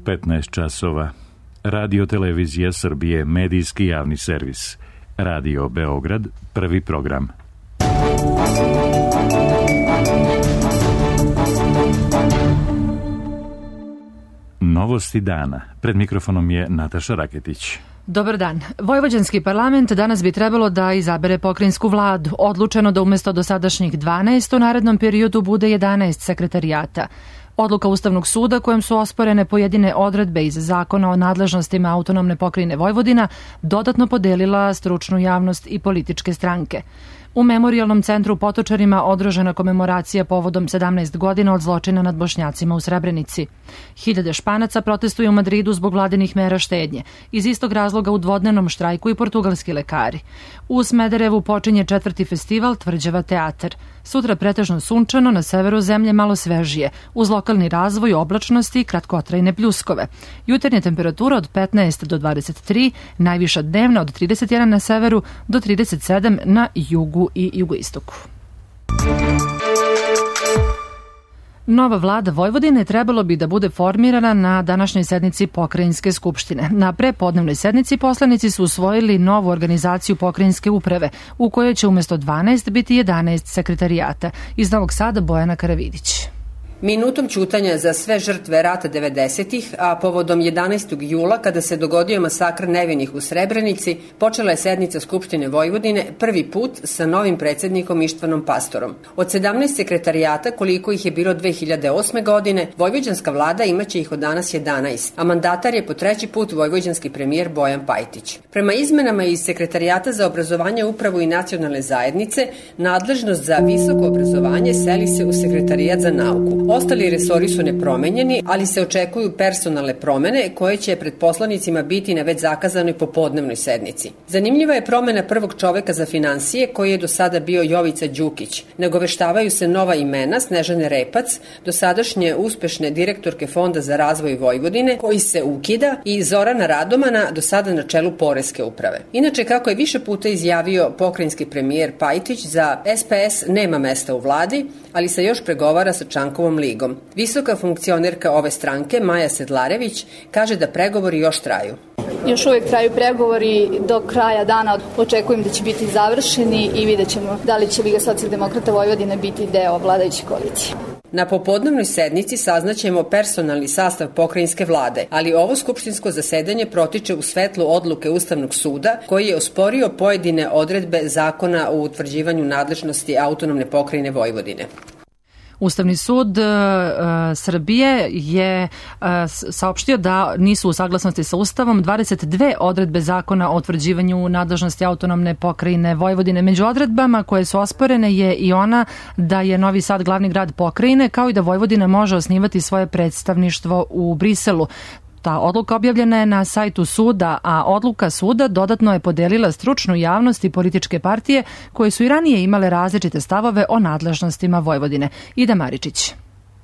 15 časova. Radio Televizija Srbije, medijski javni servis. Radio Beograd, prvi program. Novosti dana. Pred mikrofonom je Nataša Raketić. Dobar dan. Vojvođanski parlament danas bi trebalo da izabere pokrajinsku vladu. Odlučeno da umesto dosadašnjih 12 u narednom periodu bude 11 sekretarijata. Odluka Ustavnog suda kojom su osporene pojedine odredbe iz Zakona o nadležnostima autonomne pokrajine Vojvodina dodatno podelila stručnu javnost i političke stranke. U Memorijalnom centru u Potočarima održana komemoracija povodom 17 godina od zločina nad Bošnjacima u Srebrenici. Hiljade Španaca protestuju u Madridu zbog vladinih mera štednje. Iz istog razloga u dvodnevnom štrajku i portugalski lekari. U Smederevu počinje 4. festival Tvrđava teatar. Sutra pretežno sunčano, na severu zemlje malo svežije, uz lokalni razvoj oblačnosti i kratkotrajne pljuskove. Jutarnja temperatura od 15 do 23, najviša dnevna od 31 na severu do 37 na jugu i jugoistoku. Nova vlada Vojvodine trebalo bi da bude formirana na današnjoj sednici Pokrajinske skupštine. Na prepodnevnoj sednici poslanici su usvojili novu organizaciju pokrajinske uprave, u kojoj će umesto 12 biti 11 sekretarijata. Iz Novog Sada Bojana Karavidić. Minutom ćutanja za sve žrtve rata 90-ih, a povodom 11. jula, kada se dogodio masakr nevinih u Srebrenici, počela je sednica Skupštine Vojvodine prvi put sa novim predsjednikom Ištvanom Pastorom. Od 17 sekretarijata, koliko ih je bilo 2008. godine, vojvođanska vlada imaće ih od danas 11, a mandatar je po treći put vojvođanski premijer Bojan Pajtić. Prema izmenama iz sekretarijata za obrazovanje, upravu i nacionalne zajednice, nadležnost za visoko obrazovanje seli se u sekretarijat za nauku. Ostali resori su nepromenjeni, ali se očekuju personalne promene koje će pred poslanicima biti na već zakazanoj popodnevnoj sednici. Zanimljiva je promena prvog čoveka za finansije koji je do sada bio Jovica Đukić. Nagoveštavaju se nova imena Snežane Repac, dosadašnje uspešne direktorke Fonda za razvoj Vojvodine koji se ukida i Zorana Radomana do sada na čelu Poreske uprave. Inače, kako je više puta izjavio pokrajinski premijer Pajtić, za SPS nema mesta u vladi, ali se još pregovara sa Čankovom ligom. Visoka funkcionerka ove stranke, Maja Sedlarević, kaže da pregovori još traju. Još uvijek traju pregovori, do kraja dana očekujem da će biti završeni i vidjet ćemo da li će Liga socijaldemokrata Vojvodine biti deo vladajuće koalicije. Na popodnevnoj sednici saznaćemo personalni sastav pokrajinske vlade, ali ovo skupštinsko zasedanje protiče u svetlu odluke Ustavnog suda koji je osporio pojedine odredbe Zakona o utvrđivanju nadležnosti autonomne pokrajine Vojvodine. Ustavni sud Srbije je saopštio da nisu u saglasnosti sa Ustavom 22 odredbe Zakona o utvrđivanju nadležnosti autonomne pokrajine Vojvodine. Među odredbama koje su osporene je i ona da je Novi Sad glavni grad pokrajine, kao i da Vojvodina može osnivati svoje predstavništvo u Briselu. Ta odluka objavljena je na sajtu suda, a odluka suda dodatno je podelila stručnu javnost i političke partije koje su i ranije imale različite stavove o nadležnostima Vojvodine. Ida Maričić.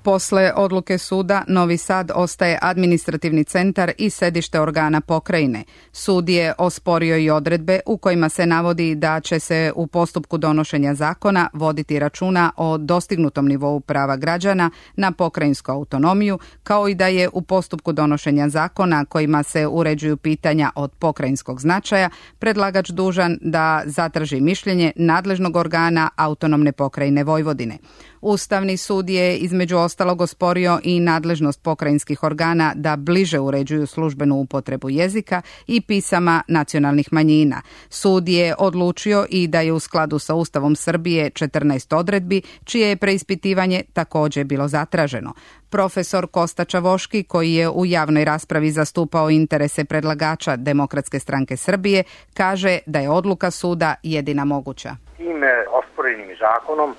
Posle odluke suda, Novi Sad ostaje administrativni centar i sedište organa pokrajine. Sud je osporio i odredbe u kojima se navodi da će se u postupku donošenja zakona voditi računa o dostignutom nivou prava građana na pokrajinsku autonomiju, kao i da je u postupku donošenja zakona kojima se uređuju pitanja od pokrajinskog značaja predlagač dužan da zatraži mišljenje nadležnog organa autonomne pokrajine Vojvodine. Ustavni sud je između ostalog osporio i nadležnost pokrajinskih organa da bliže uređuju službenu upotrebu jezika i pisama nacionalnih manjina. Sud je odlučio i da je u skladu sa Ustavom Srbije 14 odredbi, čije je preispitivanje također bilo zatraženo. Profesor Kosta Čavoški, koji je u javnoj raspravi zastupao interese predlagača Demokratske stranke Srbije, kaže da je odluka suda jedina moguća. Tim osporenim zakonom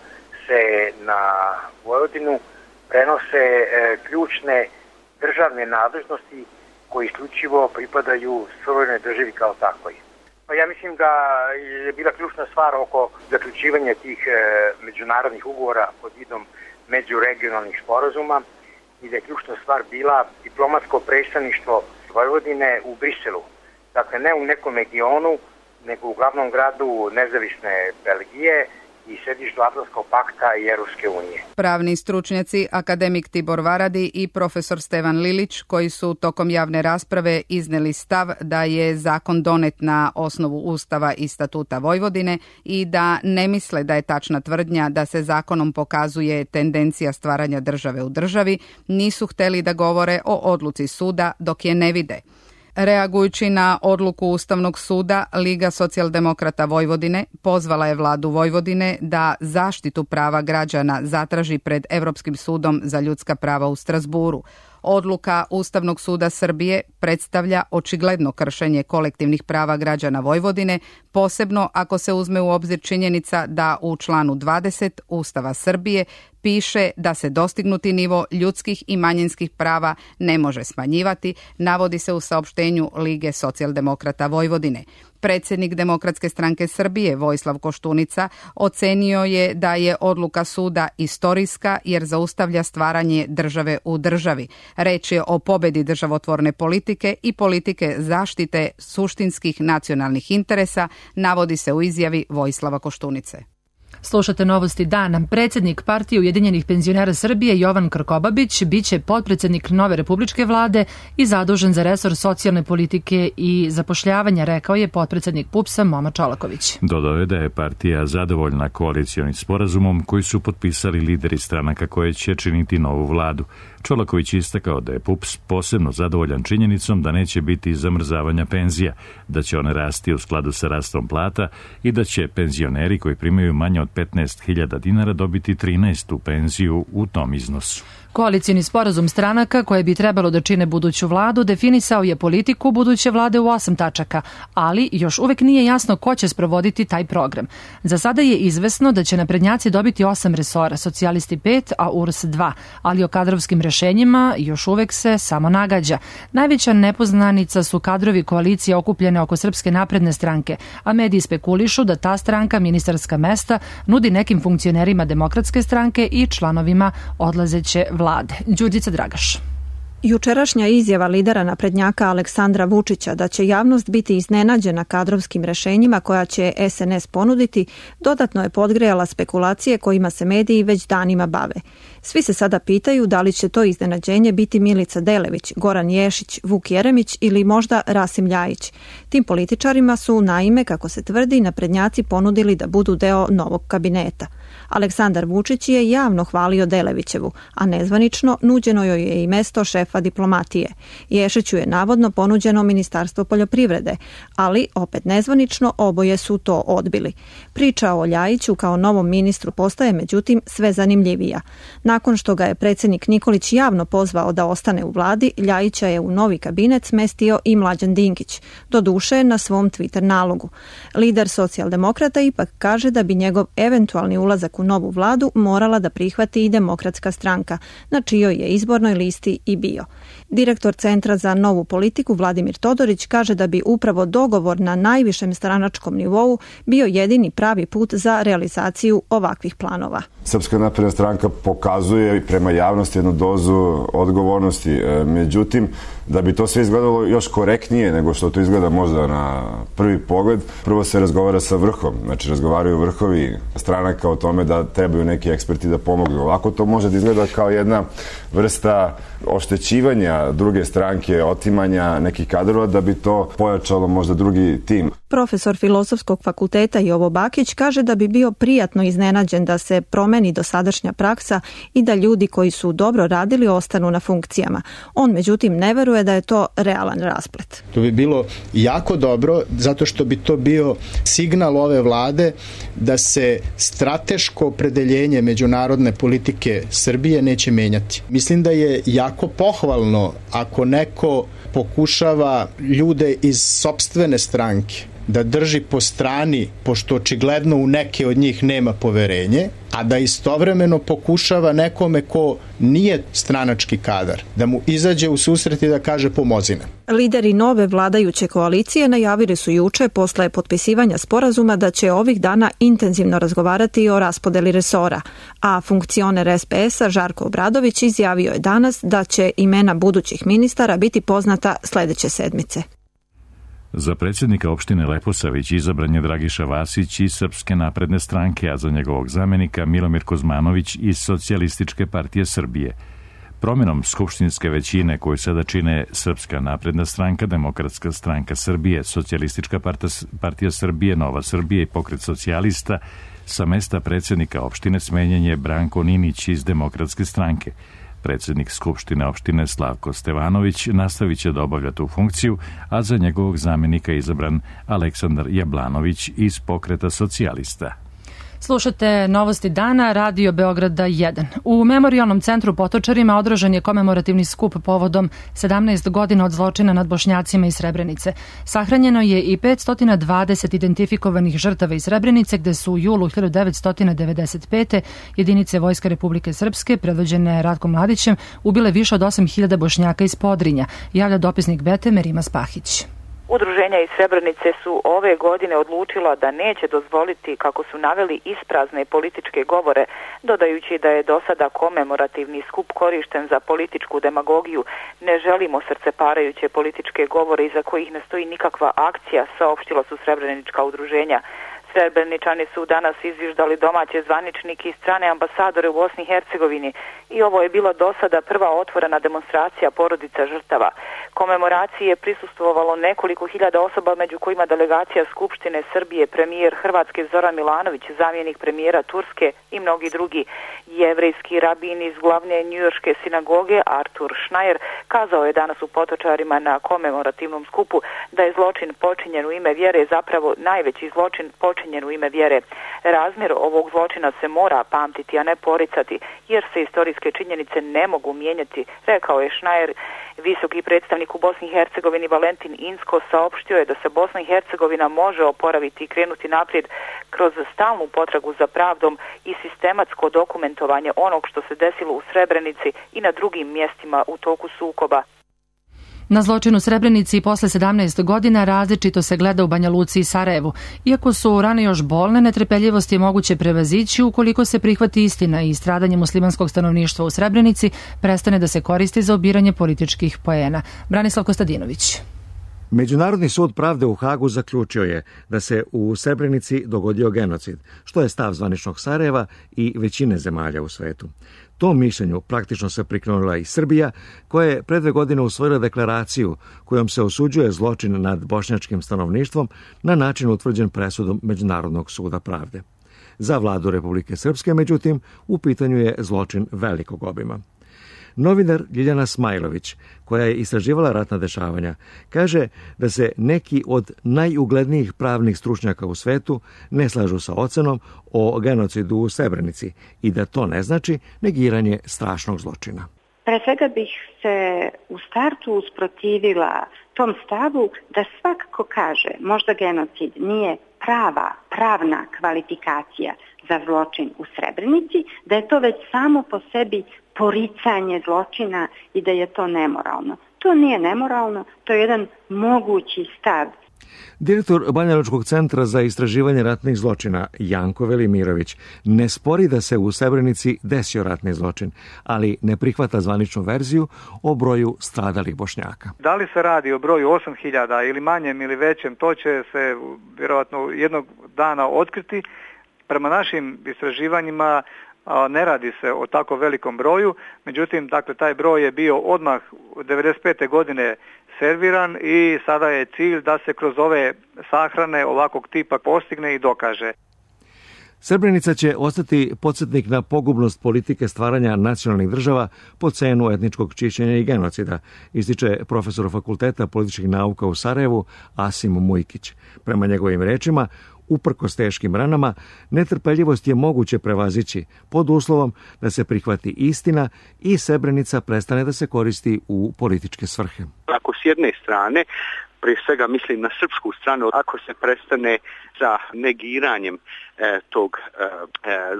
se na Vojvodinu prenose ključne državne nadležnosti koji isključivo pripadaju suverenoj državi kao takvoj. Pa ja mislim da je bila ključna stvar oko zaključivanja tih međunarodnih ugovora pod vidom međuregionalnih sporazuma i da je ključna stvar bila diplomatsko predstavništvo Vojvodine u Briselu. Dakle, ne u nekom regionu, nego u glavnom gradu nezavisne Belgije i sedištu Atlantskog pakta i Europske unije. Pravni stručnjaci, akademik Tibor Varadi i profesor Stevan Lilić, koji su tokom javne rasprave izneli stav da je zakon donet na osnovu Ustava i Statuta Vojvodine i da ne misle da je tačna tvrdnja da se zakonom pokazuje tendencija stvaranja države u državi, nisu hteli da govore o odluci suda dok je ne vide. Reagujući na odluku Ustavnog suda, Liga socijaldemokrata Vojvodine pozvala je vladu Vojvodine da zaštitu prava građana zatraži pred Evropskim sudom za ljudska prava u Strazburu. Odluka Ustavnog suda Srbije predstavlja očigledno kršenje kolektivnih prava građana Vojvodine, posebno ako se uzme u obzir činjenica da u članu 20 Ustava Srbije piše da se dostignuti nivo ljudskih i manjinskih prava ne može smanjivati, navodi se u saopštenju Lige socijaldemokrata Vojvodine. Predsjednik Demokratske stranke Srbije Vojislav Koštunica ocenio je da je odluka suda istorijska jer zaustavlja stvaranje države u državi. Reč je o pobedi državotvorne politike i politike zaštite suštinskih nacionalnih interesa, navodi se u izjavi Vojislava Koštunice. Slušate Novosti dana. Predsjednik Partije Ujedinjenih penzionera Srbije Jovan Krkobabić biće potpredsjednik nove republičke vlade i zadužen za resor socijalne politike i zapošljavanja, rekao je potpredsjednik PUPS-a Momo Čolaković. Dodao je da je partija zadovoljna koalicionim sporazumom koji su potpisali lideri stranaka koje će činiti novu vladu. Čolaković istakao da je PUPS posebno zadovoljan činjenicom da neće biti zamrzavanja penzija, da će one rasti u skladu sa rastom plata i da će penzioneri koji primaju manje od 15.000 dinara dobiti 13. penziju u tom iznosu. Koalicijni sporazum stranaka koje bi trebalo da čine buduću vladu definisao je politiku buduće vlade u 8 tačaka, ali još uvek nije jasno ko će sprovoditi taj program. Za sada je izvesno da će naprednjaci dobiti 8 resora, socijalisti 5, a URS 2, ali o kadrovskim rešenjima još uvek se samo nagađa. Najveća nepoznanica su kadrovi koalicije okupljene oko Srpske napredne stranke, a mediji spekulišu da ta stranka ministarska mesta nudi nekim funkcionerima Demokratske stranke i članovima odlazeće vlade. Đurđica Dragaš. Jučerašnja izjava lidera naprednjaka Aleksandra Vučića da će javnost biti iznenađena kadrovskim rešenjima koja će SNS ponuditi, dodatno je podgrejala spekulacije kojima se mediji već danima bave. Svi se sada pitaju da li će to iznenađenje biti Milica Delević, Goran Ješić, Vuk Jeremić ili možda Rasim Ljajić. Tim političarima su, naime, kako se tvrdi, naprednjaci ponudili da budu deo novog kabineta. Aleksandar Vučić je javno hvalio Delevićevu, a nezvanično nuđeno joj je i mesto šefa diplomatije. Ješiću je navodno ponuđeno Ministarstvo poljoprivrede, ali opet nezvanično oboje su to odbili. Priča o Ljajiću kao novom ministru postaje međutim sve zanimljivija. Nakon što ga je predsjednik Nikolić javno pozvao da ostane u vladi, Ljajića je u novi kabinet smestio i Mlađan Dinkić, doduše na svom Twitter nalogu. Lider socijaldemokrata ipak kaže da bi njegov eventualni ulazak u novu vladu morala da prihvati i Demokratska stranka, na čijoj je izbornoj listi i bio. Direktor Centra za novu politiku Vladimir Todorić kaže da bi upravo dogovor na najvišem stranačkom nivou bio jedini pravi put za realizaciju ovakvih planova. Srpska napredna stranka pokazuje prema javnosti jednu dozu odgovornosti. Međutim, da bi to sve izgledalo još korektnije nego što to izgleda možda na prvi pogled, prvo se razgovara sa vrhom. Znači, razgovaraju vrhovi stranaka o tome da trebaju neki eksperti da pomognu. Ovako to može da izgleda kao jedna vrsta oštećivanja druge stranke, otimanja nekih kadrova da bi to pojačalo možda drugi tim. Profesor Filozofskog fakulteta Jovo Bakić kaže da bi bio prijatno iznenađen da se promeni dosadašnja praksa i da ljudi koji su dobro radili ostanu na funkcijama. On međutim ne veruje da je to realan rasplet. To bi bilo jako dobro zato što bi to bio signal ove vlade da se strateško opredeljenje međunarodne politike Srbije neće menjati. Mislim da je jako pohvalno ako neko pokušava ljude iz sopstvene stranke da drži po strani, pošto očigledno u neke od njih nema poverenje, a da istovremeno pokušava nekome ko nije stranački kadar, da mu izađe u susret i da kaže pomozi nam. Lideri nove vladajuće koalicije najavili su juče posle potpisivanja sporazuma da će ovih dana intenzivno razgovarati o raspodeli resora, a funkcioner SPS-a Žarko Obradović izjavio je danas da će imena budućih ministara biti poznata sledeće sedmice. Za predsjednika opštine Leposavić izabran je Dragiša Vasić iz Srpske napredne stranke, a za njegovog zamenika Milomir Kozmanović iz Socijalističke partije Srbije. Promjenom skupštinske većine koju sada čine Srpska napredna stranka, Demokratska stranka Srbije, Socijalistička partija Srbije, Nova Srbija i Pokret socijalista, sa mesta predsjednika opštine smenjen je Branko Ninić iz Demokratske stranke. Predsjednik Skupštine opštine Slavko Stevanović nastavit će da obavlja tu funkciju, a za njegovog zamjenika izabran Aleksandar Jablanović iz Pokreta socijalista. Slušate Novosti dana, Radio Beograda 1. U Memorijalnom centru Potočarima održan je komemorativni skup povodom 17 godina od zločina nad Bošnjacima iz Srebrenice. Sahranjeno je i 520 identifikovanih žrtava iz Srebrenice, gde su u julu 1995. jedinice Vojske Republike Srpske, predvođene Ratkom Mladićem, ubile više od 8.000 Bošnjaka iz Podrinja, javlja dopisnik Bete Merima Spahić. Udruženja iz Srebrenice su ove godine odlučila da neće dozvoliti, kako su naveli, isprazne političke govore, dodajući da je do sada komemorativni skup korišten za političku demagogiju. Ne želimo srceparajuće političke govore iza kojih ne stoji nikakva akcija, saopštila su srebrenička udruženja. Srebreničani su danas izviždali domaće zvaničnike i strane ambasadore u Bosni i Hercegovini i ovo je bila do sada prva otvorena demonstracija porodica žrtava. Komemoraciji je prisustvovalo nekoliko hiljada osoba, među kojima delegacija Skupštine Srbije, premijer Hrvatske Zoran Milanović, zamjenik premijera Turske i mnogi drugi. Jevrejski rabin iz glavne njujorške sinagoge Artur Schneier kazao je danas u Potočarima na komemorativnom skupu da je zločin počinjen u ime vjere zapravo najveći zločin počinjen u ime vjere. Razmjer ovog zločina se mora pamtiti, a ne poricati, jer se istorijske činjenice ne mogu mijenjati, rekao je Schneier. Visoki predstavnik u Bosni i Hercegovini Valentin Inzko saopštio je da se Bosna i Hercegovina može oporaviti i krenuti naprijed kroz stalnu potragu za pravdom i sistematsko dokumentovanje onog što se desilo u Srebrenici i na drugim mjestima u toku sukoba. Na zločin u Srebrenici i posle 17 godina različito se gleda u Banja Luci i Sarajevu. Iako su rane još bolne, netrpeljivost je moguće prevazići ukoliko se prihvati istina i stradanje muslimanskog stanovništva u Srebrenici prestane da se koristi za obiranje političkih poena. Branislav Kostadinović. Međunarodni sud pravde u Hagu zaključio je da se u Srebrenici dogodio genocid, što je stav zvaničnog Sarajeva i većine zemalja u svetu. Tom mišljenju praktično se prikrenula i Srbija, koja je pre 2 godine usvojila deklaraciju kojom se osuđuje zločin nad bošnjačkim stanovništvom na način utvrđen presudom Međunarodnog suda pravde. Za vladu Republike Srpske, međutim, u pitanju je zločin velikog obima. Novinar Ljiljana Smajlović, koja je istraživala ratna dešavanja, kaže da se neki od najuglednijih pravnih stručnjaka u svetu ne slažu sa ocenom o genocidu u Srebrenici i da to ne znači negiranje strašnog zločina. Pre svega bih se u startu usprotivila tom stavu da svakako kaže možda genocid nije pravna kvalifikacija za zločin u Srebrenici, da je to već samo po sebi poricanje zločina i da je to nemoralno. To nije nemoralno, to je jedan mogući stav. Direktor Banjalučkog centra za istraživanje ratnih zločina Janko Velimirović ne spori da se u Srebrenici desio ratni zločin, ali ne prihvata zvaničnu verziju o broju stradalih Bošnjaka. Da li se radi o broju 8.000 ili manjem ili većem, to će se vjerojatno jednog dana otkriti. Prema našim istraživanjima ne radi se o tako velikom broju, međutim, dakle, taj broj je bio odmah 1995. godine serviran i sada je cilj da se kroz ove sahrane ovakvog tipa postigne i dokaže. Srebrenica će ostati podsjetnik na pogubnost politike stvaranja nacionalnih država po cenu etničkog čišćenja i genocida, ističe profesor Fakulteta političkih nauka u Sarajevu Asim Mujkić. Prema njegovim rečima, uprkos teškim ranama, netrpeljivost je moguće prevazići pod uslovom da se prihvati istina i Srebrenica prestane da se koristi u političke svrhe. Ako s jedne strane, prije svega mislim na srpsku stranu, ako se prestane sa negiranjem tog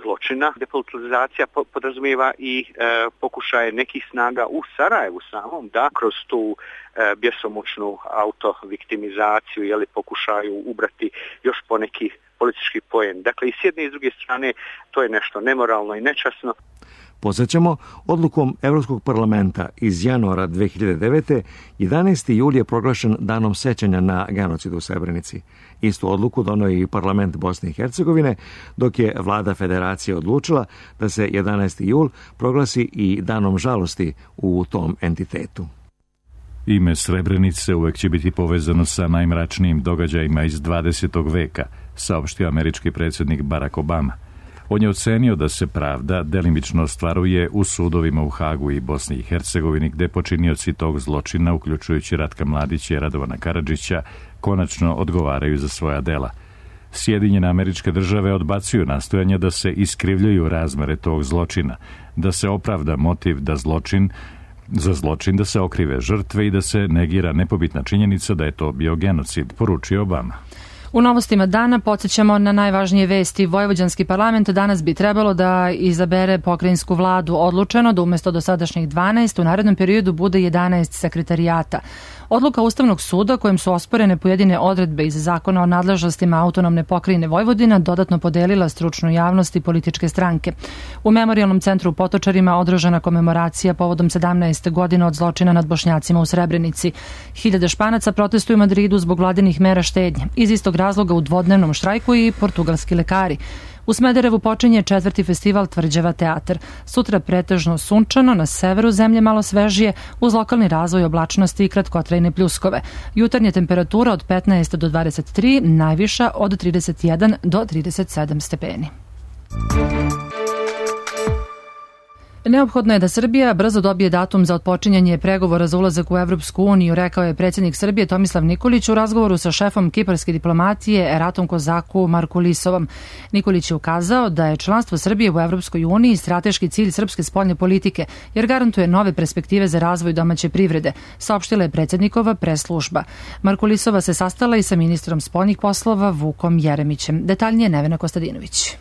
zločina, depolitizacija podrazumijeva i pokušaje nekih snaga u Sarajevu samom da kroz tu bjesomučnu autoviktimizaciju pokušaju ubrati još poneki politički poen. Dakle, i s jedne i s druge strane to je nešto nemoralno i nečasno. Podsjećamo, odlukom Evropskog parlamenta iz januara 2009. 11. jul je proglašen danom sećanja na genocid u Srebrenici. Istu odluku doneo i parlament Bosne i Hercegovine, dok je vlada federacije odlučila da se 11. jul proglasi i danom žalosti u tom entitetu. Ime Srebrenice uvek će biti povezano sa najmračnijim događajima iz 20. veka, saopštio američki predsjednik Barack Obama. On je ocenio da se pravda delimično ostvaruje u sudovima u Hagu i Bosni i Hercegovini, gde počinioci tog zločina, uključujući Ratka Mladića i Radovana Karadžića, konačno odgovaraju za svoja dela. Sjedinjene Američke Države odbacuju nastojanja da se iskrivljuju razmere tog zločina, da se opravda motiv da za zločin da se okrive žrtve i da se negira nepobitna činjenica da je to bio genocid, poručio Obama. U novostima dana podsjećamo na najvažnije vesti. Vojvođanski parlament danas bi trebalo da izabere pokrajinsku vladu. Odlučeno da umesto dosadašnjih 12 u narednom periodu bude 11 sekretarijata. Odluka Ustavnog suda kojim su osporene pojedine odredbe iz zakona o nadležnostima autonomne pokrajine Vojvodina dodatno podelila stručnu javnost i političke stranke. U Memorijalnom centru u Potočarima održana komemoracija povodom 17 godina od zločina nad Bošnjacima u Srebrenici. Hiljade Španaca protestuju u Madridu zbog vladinih mera štednje. Iz istog razloga u dvodnevnom štrajku i portugalski lekari. U Smederevu počinje 4. festival Tvrđava teatar. Sutra pretežno sunčano, na severu zemlje malo svežije, uz lokalni razvoj oblačnosti i kratkotrajne pljuskove. Jutarnja temperatura od 15 do 23, najviša od 31 do 37 stepeni. Neophodno je da Srbija brzo dobije datum za otpočinjanje pregovora za ulazak u Evropsku uniju, rekao je predsjednik Srbije Tomislav Nikolić u razgovoru sa šefom kiparske diplomatije Eratom Kozaku Markulisovom. Nikolić je ukazao da je članstvo Srbije u Evropskoj uniji strateški cilj srpske spoljne politike, jer garantuje nove perspektive za razvoj domaće privrede, saopštila je predsjednikova press-služba. Markulisova se sastala i sa ministrom spoljnih poslova Vukom Jeremićem. Detaljnije Nevena Kostadinović.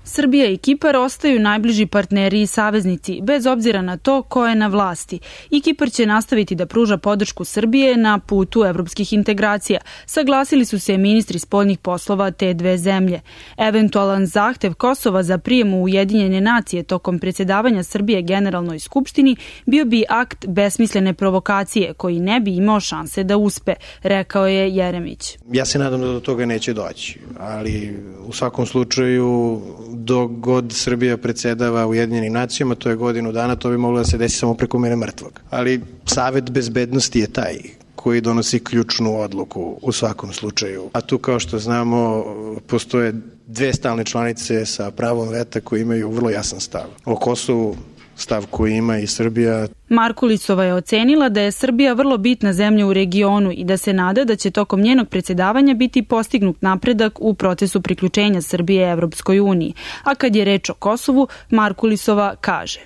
Srbija i Kipar ostaju najbliži partneri i saveznici, bez obzira na to ko je na vlasti. I Kipar će nastaviti da pruža podršku Srbije na putu evropskih integracija. Saglasili su se ministri spoljnih poslova te dve zemlje. Eventualan zahtev Kosova za prijem u Ujedinjene nacije tokom predsjedavanja Srbije Generalnoj skupštini bio bi akt besmislene provokacije koji ne bi imao šanse da uspe, rekao je Jeremić. Ja se nadam da do toga neće doći, ali u svakom slučaju dok god Srbija predsjedava Ujedinjenim nacijama, to je godinu dana, to bi moglo da se desi samo preko mene mrtvog. Ali Savet bezbednosti je taj koji donosi ključnu odluku u svakom slučaju. A tu, kao što znamo, postoje dve stalne članice sa pravom veta koji imaju vrlo jasan stav. O Kosovu stav koji ima i Srbija. Markulisova je ocenila da je Srbija vrlo bitna zemlja u regionu i da se nada da će tokom njenog predsjedavanja biti postignut napredak u procesu priključenja Srbije Evropskoj uniji. A kad je reč o Kosovu, Markulisova kaže: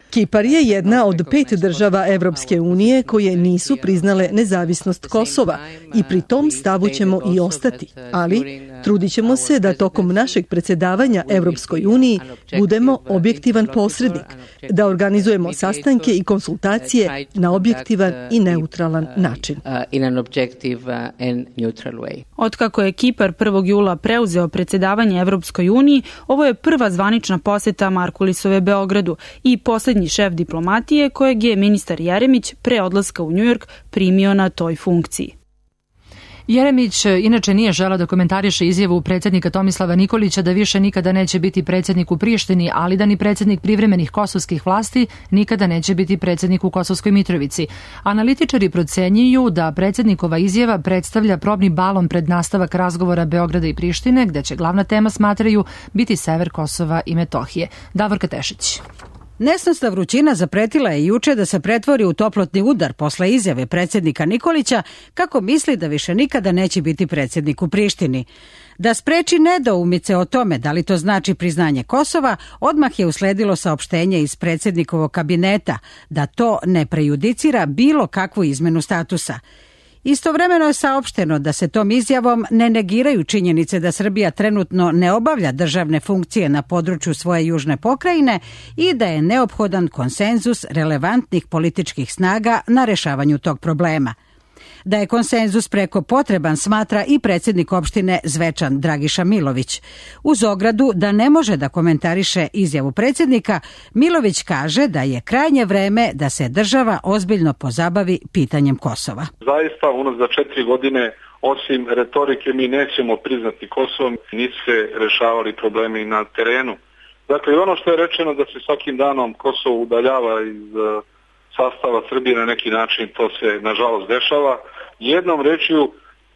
Kipar je jedna od 5 država Evropske unije koje nisu priznale nezavisnost Kosova i pri tom stavu ćemo i ostati, ali trudit ćemo se da tokom našeg predsjedavanja Evropskoj uniji budemo objektivan posrednik, da organizujemo sastanke i konsultacije na objektivan i neutralan način. Otkako je Kipar 1. jula preuzeo predsjedavanje Evropskoj uniji, ovo je prva zvanična poseta Markulisove Beogradu i posljednji šef diplomatije kojeg je ministar Jeremić pre odlaska u Njujork primio na toj funkciji. Jeremić inače nije želeo da komentariše izjavu predsjednika Tomislava Nikolića da više nikada neće biti predsjednik u Prištini, ali da ni predsjednik privremenih kosovskih vlasti nikada neće biti predsjednik u Kosovskoj Mitrovici. Analitičari procenjuju da predsjednikova izjava predstavlja probni balon pred nastavak razgovora Beograda i Prištine, gde će glavna tema, smatraju, biti sever Kosova i Metohije. Davorka Tešić. Nesnosna vrućina zapretila je juče da se pretvori u toplotni udar posle izjave predsjednika Nikolića kako misli da više nikada neće biti predsjednik u Prištini. Da spreči nedoumice o tome da li to znači priznanje Kosova, odmah je usledilo saopštenje iz predsjednikovog kabineta da to ne prejudicira bilo kakvu izmenu statusa. Istovremeno je saopšteno da se tom izjavom ne negiraju činjenice da Srbija trenutno ne obavlja državne funkcije na području svoje južne pokrajine i da je neophodan konsenzus relevantnih političkih snaga na rešavanju tog problema. Da je konsenzus preko potreban smatra i predsjednik opštine Zvečan Dragiša Milović. Uz ogradu da ne može da komentariše izjavu predsjednika, Milović kaže da je krajnje vreme da se država ozbiljno pozabavi pitanjem Kosova. Zaista, za 4 godine, osim retorike, mi nećemo priznati Kosovo, nisu se rešavali problemi na terenu. Dakle, ono što je rečeno da se svakim danom Kosovo udaljava iz sastava Srbije na neki način, to se nažalost dešava. Jednom rečju,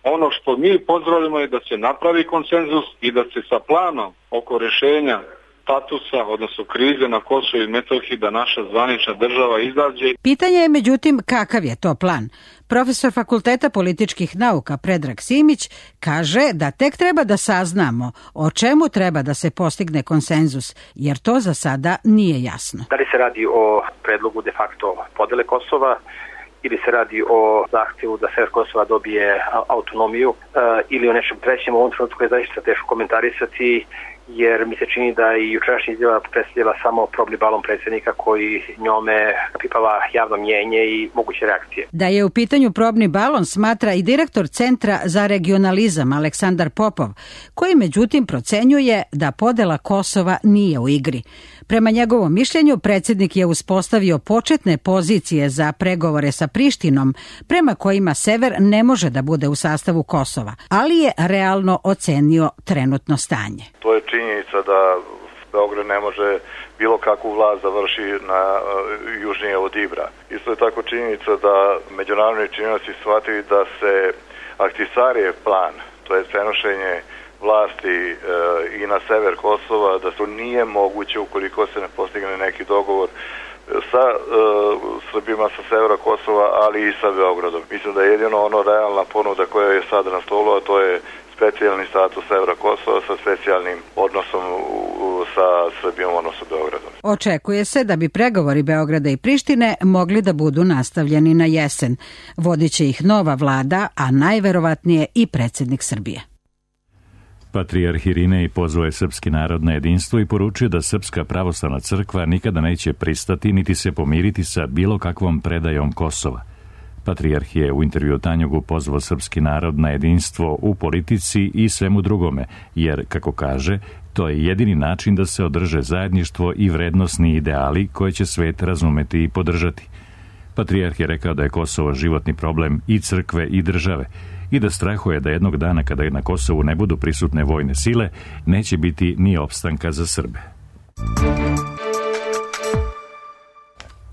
ono što mi pozdravljamo je da se napravi konsenzus i da se sa planom oko rešenja statusa, odnosno krize na Kosovu i Metohiji, da naša zvanična država izađe. Pitanje je međutim kakav je to plan. Profesor Fakulteta političkih nauka Predrag Simić kaže da tek treba da saznamo o čemu treba da se postigne konsenzus, jer to za sada nije jasno. Da li se radi o predlogu de facto podele Kosova, ili se radi o zahtjevu da sever Kosova dobije autonomiju, ili o nečem trećem, u ovom trenutku je zaista teško komentarisati, jer mi se čini da i jučerašnja izjava predstavljala samo probni balon predsjednika koji njome pipava javno mnjenje i moguće reakcije. Da je u pitanju probni balon smatra i direktor Centra za regionalizam Aleksandar Popov, koji međutim procenjuje da podela Kosova nije u igri. Prema njegovom mišljenju, predsjednik je uspostavio početne pozicije za pregovore sa Prištinom, prema kojima sever ne može da bude u sastavu Kosova, ali je realno ocenio trenutno stanje. To je činjenica da Beograd ne može bilo kakvu vlast završi na južnije od Ibra. Isto je tako činjenica da međunarodni činioci shvatili da se Ahtisarijev plan, to je prenošenje vlasti i na sever Kosova, da to nije moguće ukoliko se ne postigne neki dogovor sa Srbima sa severa Kosova, ali i sa Beogradom. Mislim da je jedino realna ponuda koja je sada na stolu, a to je specijalni status severa Kosova sa specijalnim odnosom sa Srbijom, odnosno Beogradom. Očekuje se da bi pregovori Beograda i Prištine mogli da budu nastavljeni na jesen. Vodit će ih nova vlada, a najverovatnije i predsjednik Srbije. Patrijarh Irinej pozvao je srpski narod na jedinstvo i poručio da Srpska pravoslavna crkva nikada neće pristati niti se pomiriti sa bilo kakvom predajom Kosova. Patrijarh je u intervju Tanjugu pozvao srpski narod na jedinstvo u politici i svemu drugome, jer, kako kaže, to je jedini način da se održe zajedništvo i vrednosni ideali koje će svet razumeti i podržati. Patrijarh je rekao da je Kosovo životni problem i crkve i države i da strahuje da jednog dana kada na Kosovu ne budu prisutne vojne sile, neće biti ni opstanka za Srbe.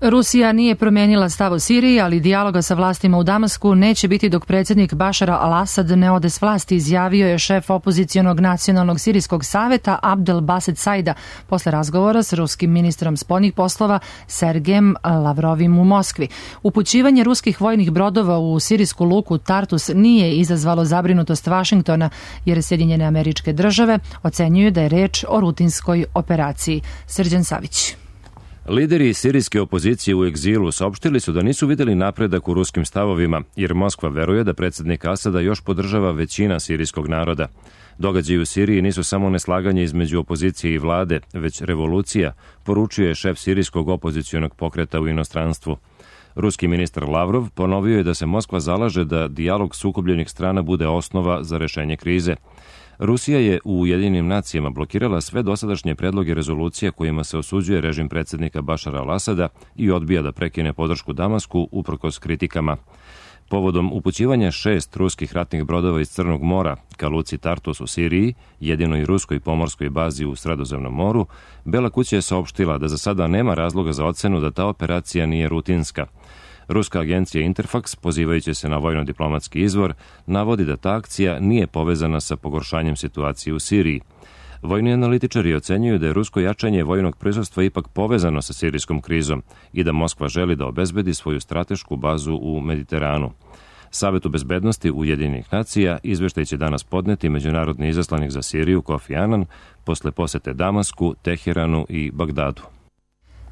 Rusija nije promijenila stav o Siriji, ali dijaloga sa vlastima u Damasku neće biti dok predsjednik Bašara al-Asad ne ode s vlasti, izjavio je šef opozicionog nacionalnog sirijskog saveta Abdel Baset Saida posle razgovora s ruskim ministrom spoljnih poslova Sergejem Lavrovim u Moskvi. Upućivanje ruskih vojnih brodova u sirijsku luku Tartus nije izazvalo zabrinutost Vašingtona, jer Sjedinjene Američke Države ocenjuju da je reč o rutinskoj operaciji. Srđan Savić. Lideri sirijske opozicije u egzilu saopštili su da nisu vidjeli napredak u ruskim stavovima, jer Moskva veruje da predsjednik Asada još podržava većina sirijskog naroda. Događaji u Siriji nisu samo neslaganje između opozicije i vlade, već revolucija, poručuje šef sirijskog opozicionog pokreta u inostranstvu. Ruski ministar Lavrov ponovio je da se Moskva zalaže da dijalog sukobljenih strana bude osnova za rešenje krize. Rusija je u Ujedinjenim nacijama blokirala sve dosadašnje predloge rezolucija kojima se osuđuje režim predsjednika Bašara al-Asada i odbija da prekine podršku Damasku uprkos kritikama. Povodom upućivanja 6 ruskih ratnih brodova iz Crnog mora ka luci Tartus u Siriji, jedinoj ruskoj pomorskoj bazi u Sredozemnom moru, Bela kuća je saopštila da za sada nema razloga za ocenu da ta operacija nije rutinska. Ruska agencija Interfax, pozivajući se na vojno-diplomatski izvor, navodi da ta akcija nije povezana sa pogoršanjem situacije u Siriji. Vojni analitičari ocenjuju da je rusko jačanje vojnog prisustva ipak povezano sa sirijskom krizom i da Moskva želi da obezbedi svoju stratešku bazu u Mediteranu. Savetu bezbednosti Ujedinjenih nacija izveštaj će danas podneti međunarodni izaslanik za Siriju Kofi Annan posle posete Damasku, Teheranu i Bagdadu.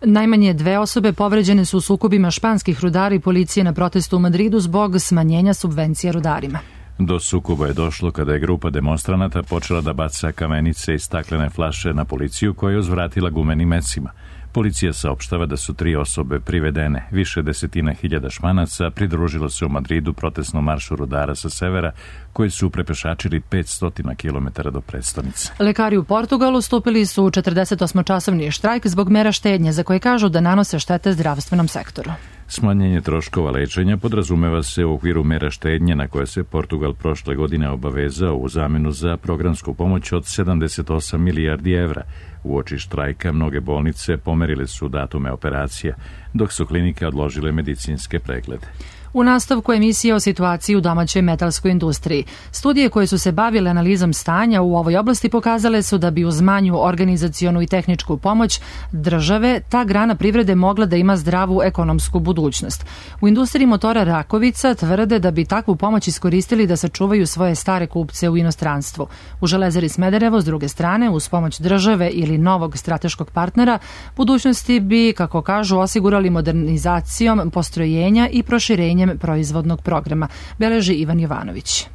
Najmanje 2 osobe povređene su u sukobima španskih rudara i policije na protestu u Madridu zbog smanjenja subvencija rudarima. Do sukoba je došlo kada je grupa demonstranata počela da baca kamenice i staklene flaše na policiju koja je uzvratila gumenim mecima. Policija saopštava da su 3 osobe privedene. Više desetina hiljada Španaca pridružilo se u Madridu protestnom maršu rudara sa severa, koji su prepešačili 500 km do prestonice. Lekari u Portugalu stupili su u 48-časovni štrajk zbog mera štednje za koje kažu da nanose štete zdravstvenom sektoru. Smanjenje troškova lečenja podrazumeva se u okviru mera štednje na koje se Portugal prošle godine obavezao u zamenu za programsku pomoć od 78 milijardi evra. Uoči štrajka mnoge bolnice pomerile su datume operacija, dok su klinike odložile medicinske preglede. U nastavku emisije o situaciji u domaćoj metalskoj industriji. Studije koje su se bavile analizom stanja u ovoj oblasti pokazale su da bi uz manju organizacionu i tehničku pomoć države ta grana privrede mogla da ima zdravu ekonomsku budućnost. U industriji motora Rakovica tvrde da bi takvu pomoć iskoristili da sačuvaju svoje stare kupce u inostranstvu. U Železari Smederevo, s druge strane, uz pomoć države ili novog strateškog partnera, budućnosti bi, kako kažu, osigurali modernizacijom postrojenja i proširenjem proizvodnog programa, beleži Ivan Jovanović.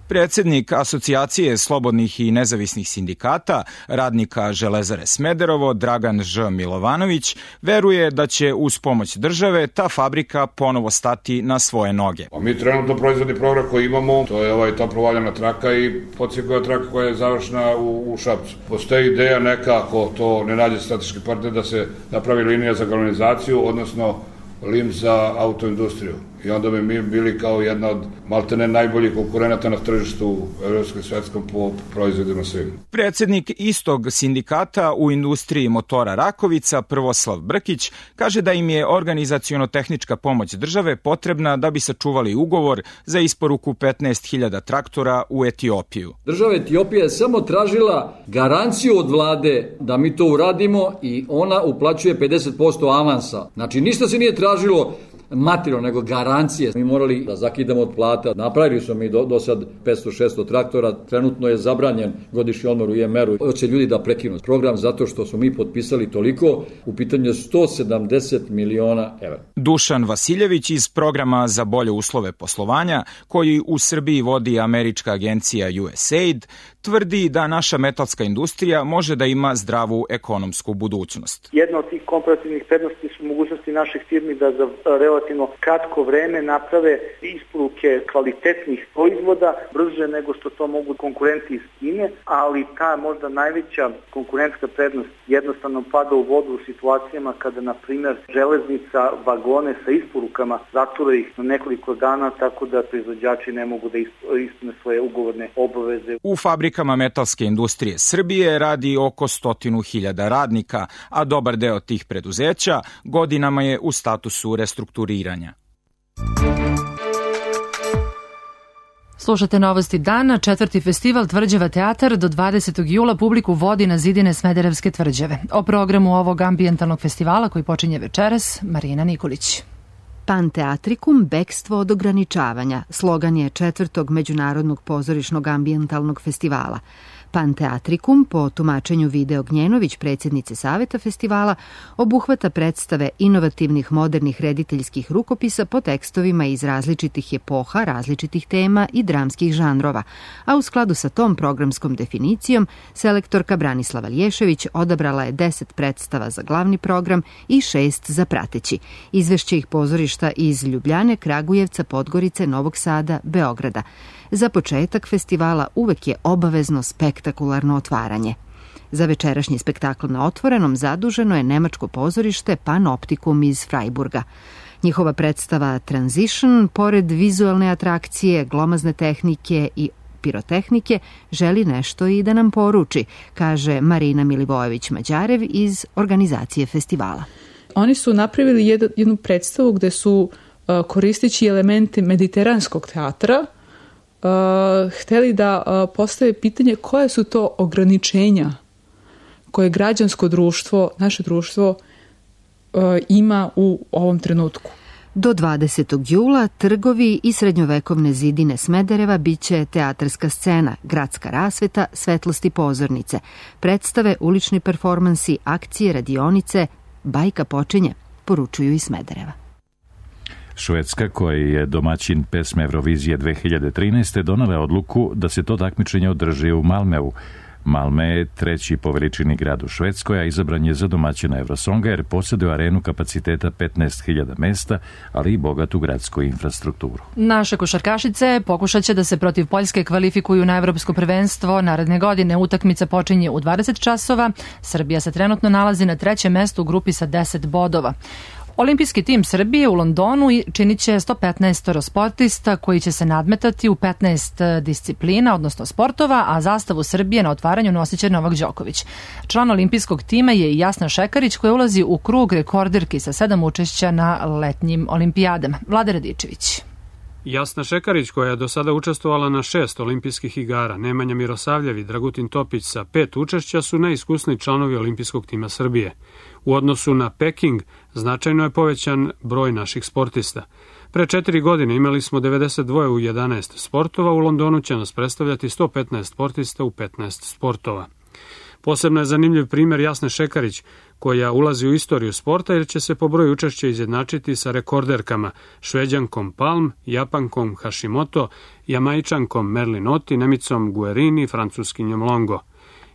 Predsjednik Asocijacije slobodnih i nezavisnih sindikata, radnika Železare Smederevo, Dragan Ž. Milovanović, veruje da će uz pomoć države ta fabrika ponovo stati na svoje noge. Mi trenutno proizvodni program koji imamo, to je toplo valjana traka i podsjekova traka koja je završena u Šapcu. Postoji ideja neka, ako to ne nađe strateški partner, da se napravi linija za galvanizaciju, odnosno lim za autoindustriju. I onda bi mi bili kao jedna od maltene najboljih konkurenata na tržištu evropskom i svetskom po proizvodima svim. Predsjednik istog sindikata u industriji motora Rakovica, Prvoslav Brkić, kaže da im je organizaciono-tehnička pomoć države potrebna da bi sačuvali ugovor za isporuku 15.000 traktora u Etiopiju. Država Etiopija je samo tražila garanciju od vlade da mi to uradimo i ona uplaćuje 50% avansa. Znači ništa se nije tražilo materijalno, nego garancije. Mi morali da zakidamo od plata. Napravili smo mi do sad 500-600 traktora. Trenutno je zabranjen godišnji odmor u IMR-u. Hoće ljudi da prekinu program zato što smo mi potpisali toliko. U pitanju je 170 miliona evra. Dušan Vasiljević iz programa za bolje uslove poslovanja, koji u Srbiji vodi američka agencija USAID, tvrdi da naša metalska industrija može da ima zdravu ekonomsku budućnost. Jedna od tih komparativnih prednosti su mogućnosti naših firmi da za relativno kratko vreme naprave isporuke kvalitetnih proizvoda brže nego što to mogu konkurenti iz Kine, ali ta možda najveća konkurentska prednost jednostavno pada u vodu u situacijama kada, na primjer, železnica vagone sa isporukama zatura ih na nekoliko dana, tako da proizvođači ne mogu da ispune svoje ugovorne obaveze. U fabrikama metalske industrije Srbije radi oko 100.000 radnika, a dobar deo tih preduzeća godinama je u statusu restrukturiranja. Slušate Novosti dana. 4. festival Tvrđava teatar do 20. jula publiku vodi na zidine Smederevske tvrđave. O programu ovog ambijentalnog festivala koji počinje večeras, Marina Nikolić. Panteatrikum, bekstvo od ograničavanja, slogan je 4. međunarodnog pozorišnog ambijentalnog festivala. Panteatrikum, po tumačenju Vide Ognjenović, predsjednice Saveta festivala, obuhvata predstave inovativnih modernih rediteljskih rukopisa po tekstovima iz različitih epoha, različitih tema i dramskih žanrova, a u skladu sa tom programskom definicijom, selektorka Branislava Lješević odabrala je 10 predstava za glavni program i 6 za prateći. Izvešće ih pozorišta iz Ljubljane, Kragujevca, Podgorice, Novog Sada, Beograda. Za početak festivala uvek je obavezno spektakularno otvaranje. Za večerašnji spektakl na otvorenom zaduženo je nemačko pozorište Panoptikum iz Freiburga. Njihova predstava Transition, pored vizualne atrakcije, glomazne tehnike i pirotehnike, želi nešto i da nam poruči, kaže Marina Milivojević-Mađarev iz organizacije festivala. Oni su napravili jednu predstavu gde su, koristeći elemente mediteranskog teatra, hteli da postave pitanje koje su to ograničenja koje građansko društvo, naše društvo, ima u ovom trenutku. Do 20. jula trgovi i srednjovekovne zidine Smedereva biće teatarska scena, gradska rasveta, svetlosti pozornice, predstave, ulični performansi, akcije, radionice, bajka počinje, poručuju iz Smedereva. Švedska, koja je domaćin pesme Eurovizije 2013. donala odluku da se to takmičenje održi u Malmeu. Malmö je treći po veličini grad u Švedskoj, a izabran je za domaćina Eurosonga jer posjeduje arenu kapaciteta 15.000 mesta, ali i bogatu gradsku infrastrukturu. Naše košarkašice pokušat će da se protiv Poljske kvalifikuju na evropsko prvenstvo naredne godine. Utakmica počinje u 20 časova. Srbija se trenutno nalazi na trećem mestu u grupi sa 10 bodova. Olimpijski tim Srbije u Londonu činit će 115 sportista koji će se nadmetati u 15 disciplina, odnosno sportova, a zastavu Srbije na otvaranju nosit će Novak Đoković. Član olimpijskog tima je i Jasna Šekarić koja ulazi u krug rekorderki sa 7 učešća na letnjim olimpijadama. Vlada Radičević. Jasna Šekarić, koja je do sada učestvovala na 6 olimpijskih igara, Nemanja Mirosavljev i Dragutin Topić sa 5 učešća su najiskusniji članovi olimpijskog tima Srbije. U odnosu na Peking značajno je povećan broj naših sportista. Pre 4 godine imali smo 92 u 11 sportova, u Londonu će nas predstavljati 115 sportista u 15 sportova. Posebno je zanimljiv primjer Jasne Šekarić, koja ulazi u istoriju sporta jer će se po broju učešća izjednačiti sa rekorderkama Šveđankom Palm, Japankom Hashimoto, Jamajčankom Merlin Oti, Nemicom Guerini i Francuskinjom Longo.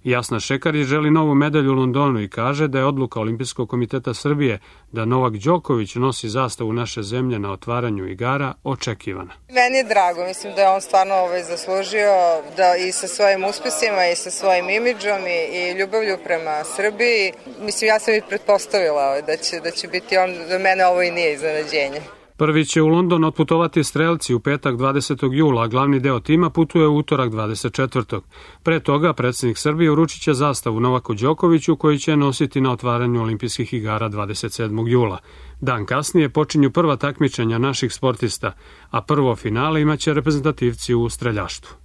Jasna Šekarić želi novu medalju u Londonu i kaže da je odluka Olimpijskog komiteta Srbije da Novak Đoković nosi zastavu naše zemlje na otvaranju igara očekivana. Meni je drago, mislim da je on stvarno zaslužio da i sa svojim uspesima i sa svojim imidžom i ljubavlju prema Srbiji. Mislim, ja sam i pretpostavila da će biti on, za mene ovo i nije iznenađenje. Prvi će u London otputovati strelci u petak 20. jula, a glavni deo tima putuje u utorak 24. Pre toga predsjednik Srbije uručit će zastavu Novaku Đokoviću koji će nositi na otvaranju olimpijskih igara 27. jula. Dan kasnije počinju prva takmičenja naših sportista, a prvo finale imaće reprezentativci u streljaštvu.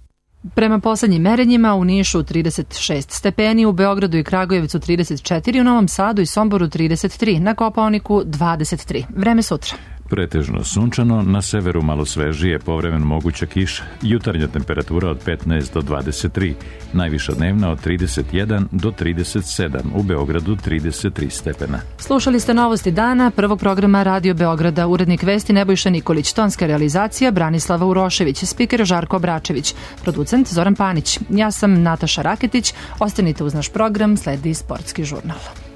Prema poslednjim merenjima u Nišu 36 stepeni, u Beogradu i Kragujevcu 34, u Novom Sadu i Somboru 33, na Kopaoniku 23. Vreme sutra. Pretežno sunčano, na severu malo svežije, povremeno moguća kiša. Jutarnja temperatura od 15 do 23, najviša dnevna od 31 do 37, u Beogradu 33 stepena. Slušali ste novosti dana prvog programa Radio Beograda. Urednik vesti Nebojša Nikolić, tonska realizacija Branislava Urošević, spiker Žarko Bračević, producent Zoran Panić. Ja sam Nataša Raketić. Ostanite uz naš program, sledi sportski žurnal.